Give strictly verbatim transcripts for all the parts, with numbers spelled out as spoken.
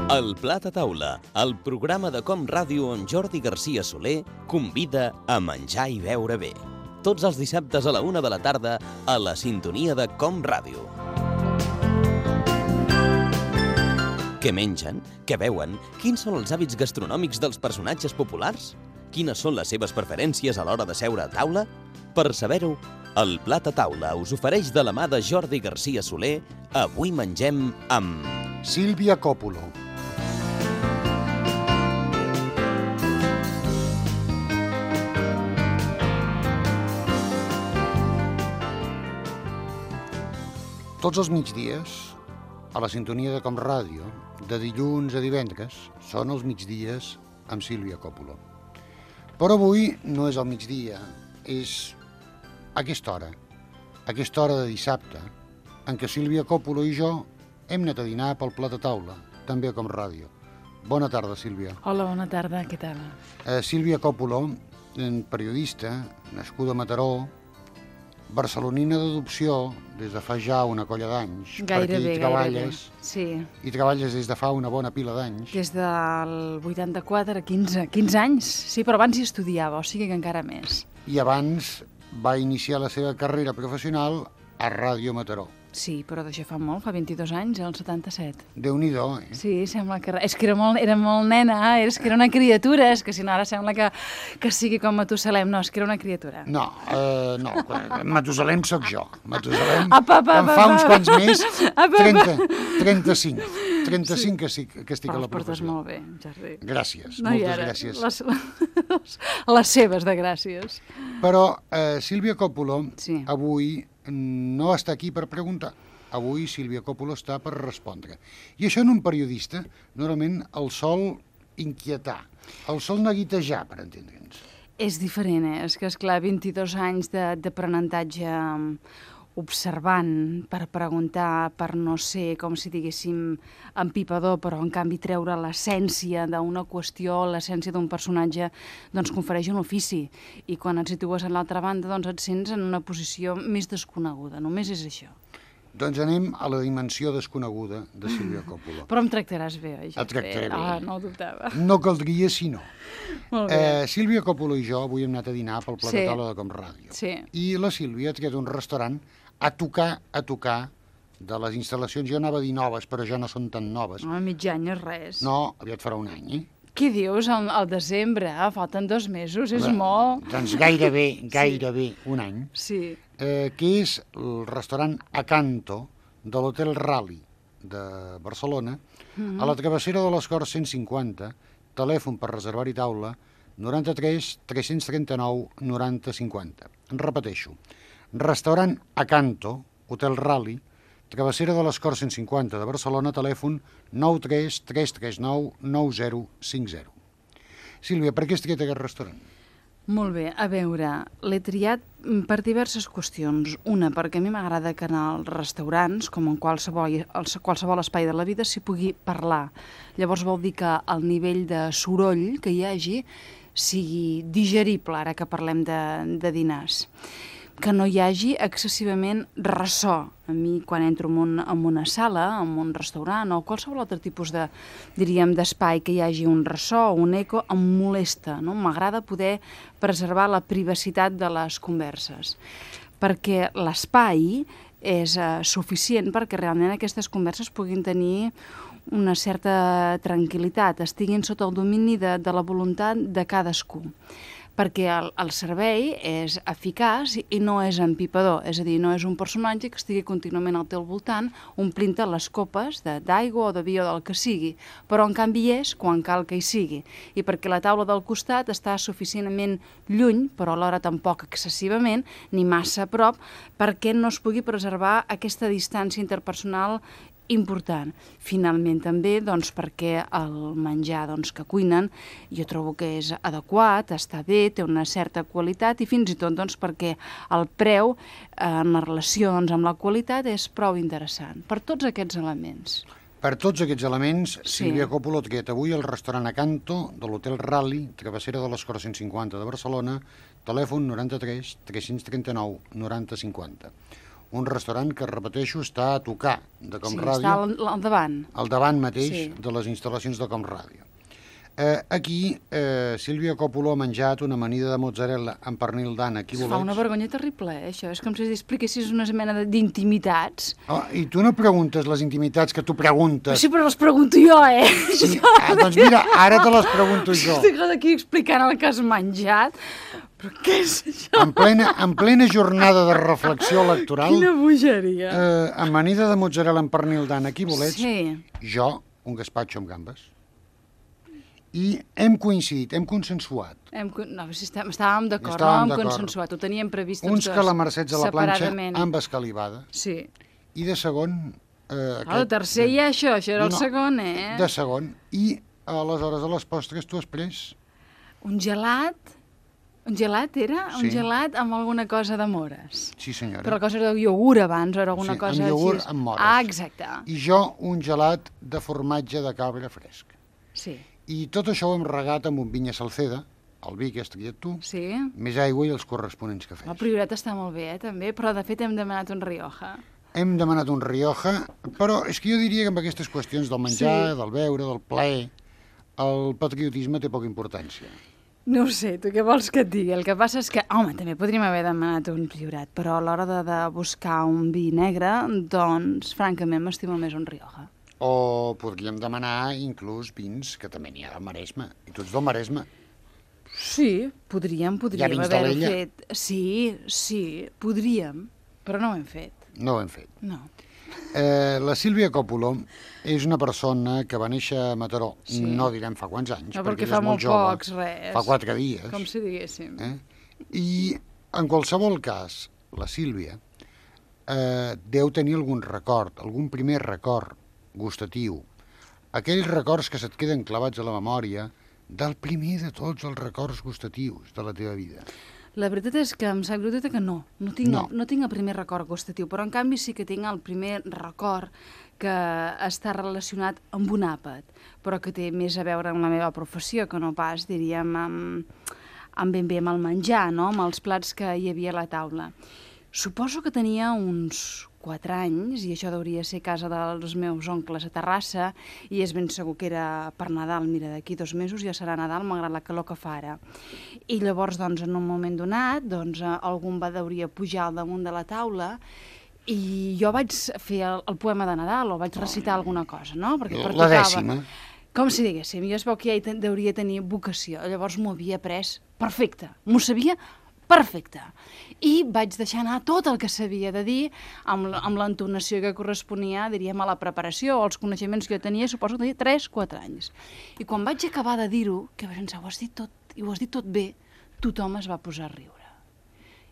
El Plat a Taula, el programa de Com Ràdio on Jordi Garcia Soler convida a menjar i beure bé. Tots els dissabtes a la una de la tarda a la sintonia de Com Ràdio. Què mengen? Què beuen? Quins són els hàbits gastronòmics dels personatges populars? Quines són les seves preferències a l'hora de seure a taula? Per saber-ho, el Plat a Taula us ofereix de la mà de Jordi Garcia Soler. Avui mengem amb... Sílvia Coppola. Tots els migdies, a la sintonia de Com Ràdio, de dilluns a divendres, són els migdies amb Sílvia Coppola. Però avui no és al migdia, és aquesta hora, aquesta hora de dissabte, en què Sílvia Coppola i jo hem anat a dinar pel Plat a Taula, també a Com Ràdio. Bona tarda, Sílvia. Hola, bona tarda, què tal? Eh, Sílvia Coppola, periodista, nascuda a Mataró, barcelonina d'adopció des de fa ja una colla d'anys. Gairebé, gairebé. Sí. I treballes des de fa una bona pila d'anys. Des del vuitanta-quatre a quinze, quinze anys, sí, però abans hi estudiava, o sigui que encara més. I abans va iniciar la seva carrera professional a Ràdio Mataró. Sí, però d'això fa molt, fa vint-i-dos anys, el setanta-set. Déu-n'hi-do, eh? Sí, sembla que... És que era molt, era molt nena, és que era una criatura, és que si no ara sembla que, que sigui com Matusalem. No, és que era una criatura. No, eh, no, Matusalem sóc jo. Matusalem, apa, apa, em fa uns quants més, apa, trenta, trenta-cinc. trenta-cinc sí. que, que estic però a la professió. Però els portes molt bé, Jordi. Gràcies, no, moltes ara, gràcies. Les, les seves de gràcies. Però eh, Sílvia Coppola sí. avui no està aquí per preguntar. Avui Sílvia Coppola està per respondre. I això en un periodista normalment el sol inquietar, el sol neguitejar, per entendre'ns. És diferent, eh? És que, esclar, vint-i-dos anys d'aprenentatge observant, per preguntar, per no ser, com si diguéssim, empipador, però en canvi treure l'essència d'una qüestió, l'essència d'un personatge, doncs confereix un ofici. I quan et situes en l'altra banda, doncs et sents en una posició més desconeguda. Només és això. Doncs anem a la dimensió desconeguda de Sílvia Coppola. Però em tractaràs bé, oi? Et tractaré bé. Ah, no ho dubtava. No caldria si no. Molt bé. Eh, Sílvia Coppola i jo avui hem anat a dinar pel Plat a Taula de Com Ràdio. Sí. I la Sílvia ha triat un restaurant a tocar, a tocar de les instal·lacions. Jo anava a dir noves, però ja no són tan noves. No, mig any és res. No, aviat farà un any, eh? Què dius? Al, al desembre, ah, falten dos mesos, és Bé, molt. Doncs gairebé, gairebé sí. un any. Sí. Eh, que és el restaurant Acanto, de l'Hotel Rally de Barcelona, mm-hmm. a la travessera de les Corts cent cinquanta, telèfon per reservar-hi taula, noranta-tres tres-cents trenta-nou noranta cinquanta. En repeteixo, restaurant Acanto, Hotel Rally, travessera de les Corts cent cinquanta de Barcelona, telèfon nou tres tres tres nou nou zero cinc zero. Sílvia, per què has triat aquest restaurant? Molt bé, a veure, l'he triat per diverses qüestions. Una, perquè a mi m'agrada que en els restaurants, com en qualsevol, qualsevol espai de la vida, s'hi pugui parlar. Llavors vol dir que el nivell de soroll que hi hagi sigui digerible, ara que parlem de, de dinars. Que no hi hagi excessivament ressò. A mi, quan entro en, un, en una sala, en un restaurant o qualsevol altre tipus de, diríem, d'espai que hi hagi un ressò o un eco, em molesta, no? M'agrada poder preservar la privacitat de les converses, perquè l'espai és eh, suficient perquè realment aquestes converses puguin tenir una certa tranquil·litat, estiguin sota el domini de, de la voluntat de cadascú. Perquè el, el servei és eficaç i no és empipador, és a dir, no és un personatge que estigui contínuament al teu voltant omplint-te les copes d'aigua o de vi o del que sigui, però en canvi és quan cal que hi sigui, i perquè la taula del costat està suficientment lluny, però alhora tampoc excessivament, ni massa a prop, perquè no es pugui preservar aquesta distància interpersonal important. Finalment també doncs, perquè el menjar doncs, que cuinen jo trobo que és adequat, està bé, té una certa qualitat i fins i tot doncs, perquè el preu eh, en la relació doncs, amb la qualitat és prou interessant. Per tots aquests elements. Per tots aquests elements, Sí. Sílvia Coppola ha triat avui el restaurant Acanto de l'Hotel Rally, travessera de les Corts cent cinquanta de Barcelona, telèfon noranta-tres tres-cents trenta-nou noranta cinquanta. un restaurant que, repeteixo, està a tocar de Com Sí, Ràdio, està al, al davant. al davant mateix Sí. de les instal·lacions de Com Ràdio. Eh, aquí, eh, Sílvia Coppolo ha menjat una amanida de mozzarella amb pernil d'ànec i Es fa una bolets. vergonya terrible, eh, això. És com si expliquessis una mena de- d'intimitats. Oh, I tu no preguntes les intimitats que tu preguntes. Sí, però les pregunto jo, eh? Sí. Ah, doncs mira, ara te les pregunto jo. Estic aquí explicant el que has menjat. Però què és això? En plena, en plena jornada de reflexió electoral, Quina bogeria. eh, amanida de mozzarella amb pernil d'ànec i bolets, Sí. jo, un gaspatxo amb gambes. I hem coincidit, hem consensuat. Hem, con- no, si estem, estàvem d'acord, no? Estàvem Hem d'acord. consensuat, ho teníem previst tots Uns dos, calamarsets a la planxa separadament. amb escalivada. Sí. I de segon... Eh, Ah, el tercer ja això, això era el No, segon, eh? De segon. I aleshores a les postres tu has pres... Un gelat? Un gelat era? Sí. Un gelat amb alguna cosa de mores. Sí, senyora. Però la cosa era de iogurt abans, o era alguna Sí, cosa amb iogurt així. amb mores. Ah, exacte. I jo un gelat de formatge de cabra fresc. Sí. I tot això ho hem regat amb un vinya Salceda, el vi que has triat tu, Sí? més aigua i els corresponents cafès. El priorat està molt bé, eh, també, però de fet hem demanat un Rioja. Hem demanat un Rioja, però és que jo diria que amb aquestes qüestions del menjar, Sí. del beure, del plaer, el patriotisme té poca importància. No ho sé, tu què vols que et digui? El que passa és que, home, també podríem haver demanat un priorat, però a l'hora de, de buscar un vi negre, doncs, francament, m'estimo més un Rioja. O podríem demanar inclús vins, que també n'hi ha del Maresme, i tu ets del Maresme. Sí, podríem, podríem vins haver-ho d'Alella? fet. Sí, sí, podríem, però no ho hem fet. No ho hem fet. No. Eh, la Sílvia Coppolo és una persona que va néixer a Mataró, Sí. no direm fa quants anys, No, perquè, perquè ella fa és molt molt jove, pocs, res. fa quatre dies. Com si diguéssim. Eh? I en qualsevol cas, la Sílvia eh, deu tenir algun record, algun primer record gustatiu, aquells records que se't queden clavats a la memòria del primer de tots els records gustatius de la teva vida. La veritat és que em sap greu dir-te que no. No tinc, No. El, no tinc el primer record gustatiu, però en canvi sí que tinc el primer record que està relacionat amb un àpat, però que té més a veure amb la meva professió, que no pas, diríem, amb, amb ben bé amb el menjar, no? Amb els plats que hi havia a la taula. Suposo que tenia uns quatre anys, i això hauria de ser casa dels meus oncles a Terrassa, i és ben segur que era per Nadal. Mira, d'aquí dos mesos ja serà Nadal, malgrat la calor que fa ara. I llavors, doncs, en un moment donat, doncs, eh, algun va hauria pujar al damunt de la taula i jo vaig fer el, el poema de Nadal, o vaig recitar alguna cosa, no? Perquè La pertocava. dècima. Com si diguéssim, jo es veu que ja hi ten- hauria de tenir vocació, llavors m'ho havia pres perfecte, m'ho sabia perfecte. I vaig deixar anar tot el que sabia de dir amb, l- amb l'entonació que corresponia, diríem, a la preparació, als coneixements que jo tenia, suposo que tenia tres quatre anys. I quan vaig acabar de dir-ho, que vaig pensar, ho has dit tot, i ho has dit tot bé, tothom es va posar a riure.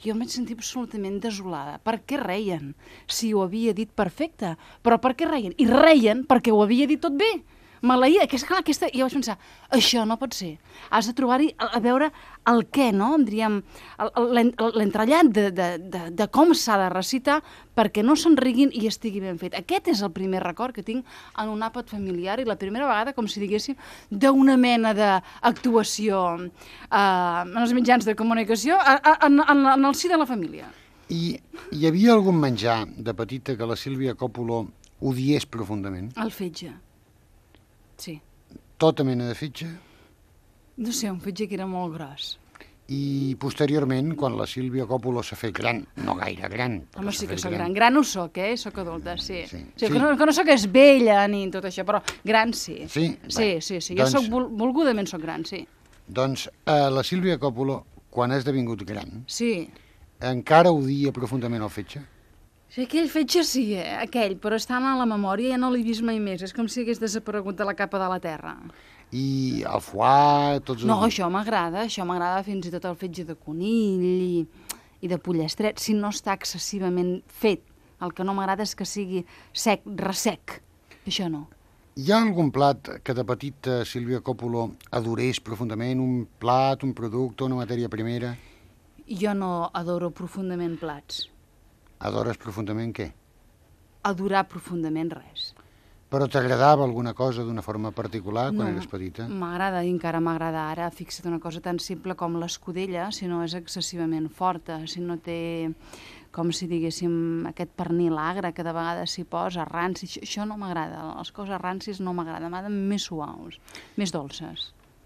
Jo em vaig sentir absolutament desolada. Per què reien? Si ho havia dit perfecte. Però per què reien? I reien perquè ho havia dit tot bé. Maleïda, que és clar, aquesta... I jo vaig pensar, això no pot ser. Has de trobar-hi, a, a veure el què, no? Diríem, el- el- l'en- l'entrellat de, de, de, de com s'ha de recitar perquè no se'n riguin i estigui ben fet. Aquest és el primer record que tinc en un àpat familiar i la primera vegada, com si diguéssim, d'una mena d'actuació eh, en els mitjans de comunicació a, a, en, en, en el si de la família. I hi havia algun menjar de petita que la Sílvia Coppolo odiés profundament? El fetge. Sí. Tota mena de fetge? No sé, un fetge que era molt gros. I posteriorment, quan la Sílvia Coppolo s'ha fet gran, no gaire gran, però Home, s'ha sí que fet sóc gran. Gran ho soc, eh? Soc adulta, sí. Sí, sí, sí. Que, no, que no sóc esvella ni tot això, però gran sí. Sí? Sí, Bé, sí, sí. Jo doncs- soc vol, volgudament soc gran, sí. Doncs eh, la Sílvia Coppolo, quan ha esdevingut gran, Sí. encara odia profundament el fetge? Sí, aquell fetge sí, eh? Aquell, però està a la memòria i ja no l'he vist mai més. És com si hagués desaparegut de la capa de la terra. I el foie, tots els... No, això m'agrada, això m'agrada fins i tot el fetge de conill i, i de pollastret, si no està excessivament fet. El que no m'agrada és que sigui sec, ressec. Això no. Hi ha algun plat que de petita Sílvia Coppolo adorés profundament? Un plat, un producte, una matèria primera? Jo no adoro profundament plats. Adores profundament què? Adorar profundament res. Però t'agradava alguna cosa d'una forma particular quan No, eres petita? m'agrada i encara m'agrada ara. Fixa't, una cosa tan simple com l'escudella, si no és excessivament forta, si no té, com si diguéssim, aquest pernil agre que de vegades s'hi posa, ranci, això, això no m'agrada. Les coses rancis no m'agraden, m'agraden més suaus, més dolces.